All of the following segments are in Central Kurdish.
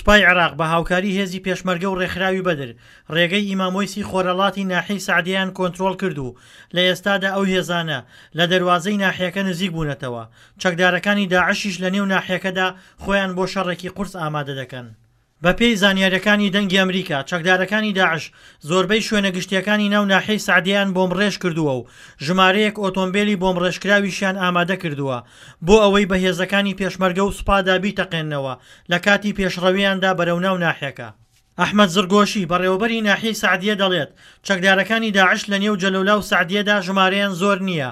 سوپای عێراق بە هاوکاری هێزی پێشمەرگە و ڕێکخراوی بەدر، ڕێگەی ئیمام وەیسی خۆرهەڵاتی ناحیەی سەعدیەیان کۆنترۆڵ کرد و لە ئێستادا ئەو هێزانە لە دەروازەی ناحیەکە نزیک بوونەتەوە، چەکدارەکانی داعشیش لە نێو ناحیەکەدا خۆیان بۆ شەڕێکی قورس ئامادە دەکەن. بەپێی زانیارییەکانی دەنگی ئەمریکا، چەکدارەکانی داعش زۆربەی شوێنە گشتییەکانی ناو ناحیەی سەعدیەیان بۆمبڕێژ کردووە و ژمارەیەک ئۆتۆمبێلی بۆمبڕێژکراویشیان ئامادە کردووە بۆ ئەوەی بە هێزەکانی پێشمەرگە و سوپادا بیتەقێننەوە لە کاتی پێشڕەوییاندا بەرەو ناو ناحیەکە. ئەحمەد زڕگۆشی، بەڕێوەبەری ناحیەی سەعدیە دەڵێت، چەکدارەکانی داعش لە نێو جەلەولا و سەعدیەدا ژمارەیان زۆر نییە،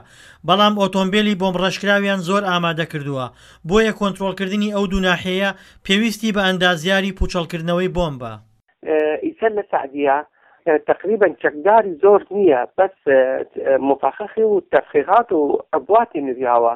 بەڵام ئۆتۆمبێلی بۆمبڕێژکراویان زۆر ئامادە کردووە، بۆیە کۆنترۆڵکردنی ئەو دوو ناحیەیە پێویستی بە ئەندازیاری پوچەڵکردنەوەی بۆمبە. ئیسە لە سەعدیە تەقریبەن چەکداری زۆر نییە بەس مفەخخی و تەفخیخات و عبواتی نریاوە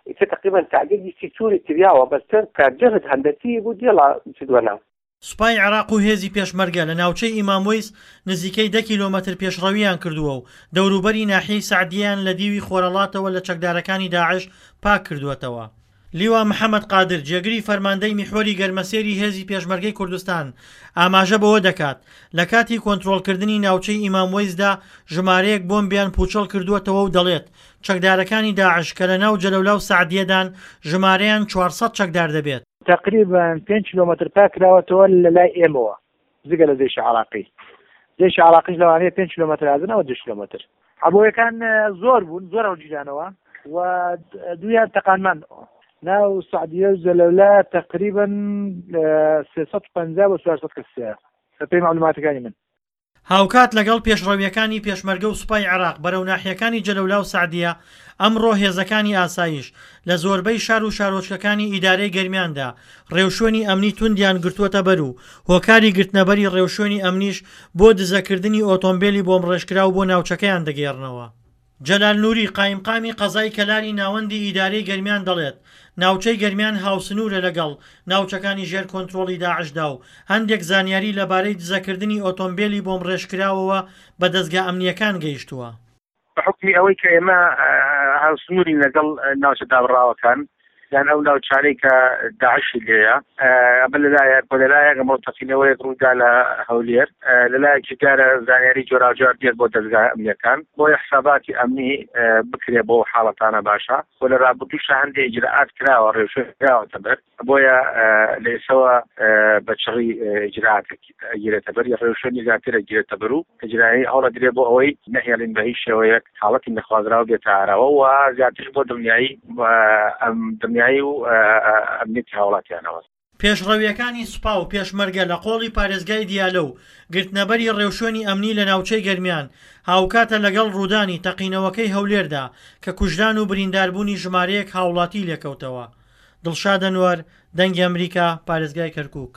ئیسە تەقریبەن سەعدیە گشتی چوری کریاوە بەس چەند کە جەهد هەندەسی بوو دێڵا چدوەناو. سوپای عێراق و هێزی پێشمەرگە لە ناوچەی ئیمام وەیس نزیکەی دە کیلۆمەتر پێشڕەوییان کردووە و دەوروبەری ناحیەی سەعدیەیان لە دیوی خۆرەڵاتەوە لە چەکدارەکانی داعش پاک کردووەتەوە. لیوا محەمەد قادر، جێگری فەرماندەی میحوەری گەرمەسێری هێزی پێشمەرگەی کوردستان ئاماژە بەوە دەکات، لە کاتی کۆنترۆڵکردنی ناوچەی ئیمام وەیسدا ژمارەیەک بۆمبیان پووچەڵ کردووەتەوە و دەڵێت، چەکدارەکانی داعش کە لەناو جەلەولا و سەعدیەدان ژمارەیان 400 چەکدار دەبێت. تەقریبەن پێنج کیلۆمەتر پاک کراوەتەوە لە لای ئێمەوە جگە لە جەیشی عراقی جەیشی عراقیش لەوانەیە پێنج کیلۆمەتر هاتن ئەوە دوو کیلۆمەتر عەبۆیەکان زۆر بوون زۆر هەڵگیرانەوە و دوویان تەقانمان ناو سعدیە و جەلەولا تقریبا 350 بۆ 400 کەس هەیە بەپێی معلوماتەکانی من. هاوکات لەگەڵ پێشڕەوییەکانی پێشمەرگە و سوپای عێراق بەرەو ناحیەکانی جەلەولا و سەعدیە، ئەمڕۆ هێزەکانی ئاسایش لە زۆربەی شار و شارۆچکەکانی ئیدارەی گەرمیاندا ڕێوشوێنی ئەمنی توندیان گرتووەتەبەر و هۆکاری گرتنەبەری ڕێوشوێنی ئەمنیش بۆ دزەکردنی ئۆتۆمبێلی بۆمبڕێژکراو بۆ ناوچەکەیان دەگێڕنەوە. جەلال نوری، قایمقامی قەزای کەلاری ناوەندی ئیدارەی گەرمیان دەڵێت، ناوچەی گەرمیان هاوسنوورە لەگەڵ ناوچەکانی ژێر کۆنترۆڵی داعشدا و هەندێک زانیاری لەبارەی دزەکردنی ئۆتۆمبێلی بۆمبڕێژکراوەوە بە دەزگا ئەمنییەکان گەیشتووە. بە حوکمی ئەوەی کە ئێمە هاوسنوورین لەگەڵ ناوچە دابڕاوەکان یان ئەو ناوچانەی کە داعشی لێیە، ئەمە لەلایەک و لەلایەک ئەمڕۆ تەقینەوەیەک ڕوویدا لە هەولێر، لەلایەکی دیارە زانیاری جۆراوجۆر دێت بۆ دەزگا ئەمنییەکان، بۆیە حساباتی ئەمنی بکرێ بۆ ئەو حاڵەتانە باشە و لە ڕابردووشا هەندێ ئیجرائات کراوە، ڕێوشوێن کراوەتە بەر. بۆیە لە ئێستەوە بە چڕی ئیجرائات ئەگیرێتە بەر، ڕێوشوێنی زیاتر ئەگیرێتە بەر و ئیجرایی هەوڵەدرێ بۆ ئەوەی نەهێڵین بە هیچ شێوەیەک حاڵەتی نەخوازراو بێتە ئاراوە و زیاتریش بۆ دڵنیایی دڵنیایی و ئەمنیەتی هاوڵاتیانەوە. پێشڕەوییەکانی سوپا و پێشمەرگە لە قۆڵی پارێزگای دیالە و گرتنەبەری ڕێوشوێنی ئەمنی لە ناوچەی گەرمیان هاوکاتە لەگەڵ ڕوودانی تەقینەوەکەی هەولێردا کە کوژران و برینداربوونی ژمارەیەک هاوڵاتی لێکەوتەوە. دڵشاد ئەنوەر، دەنگی ئەمریکا، پارێزگای کەرکوک.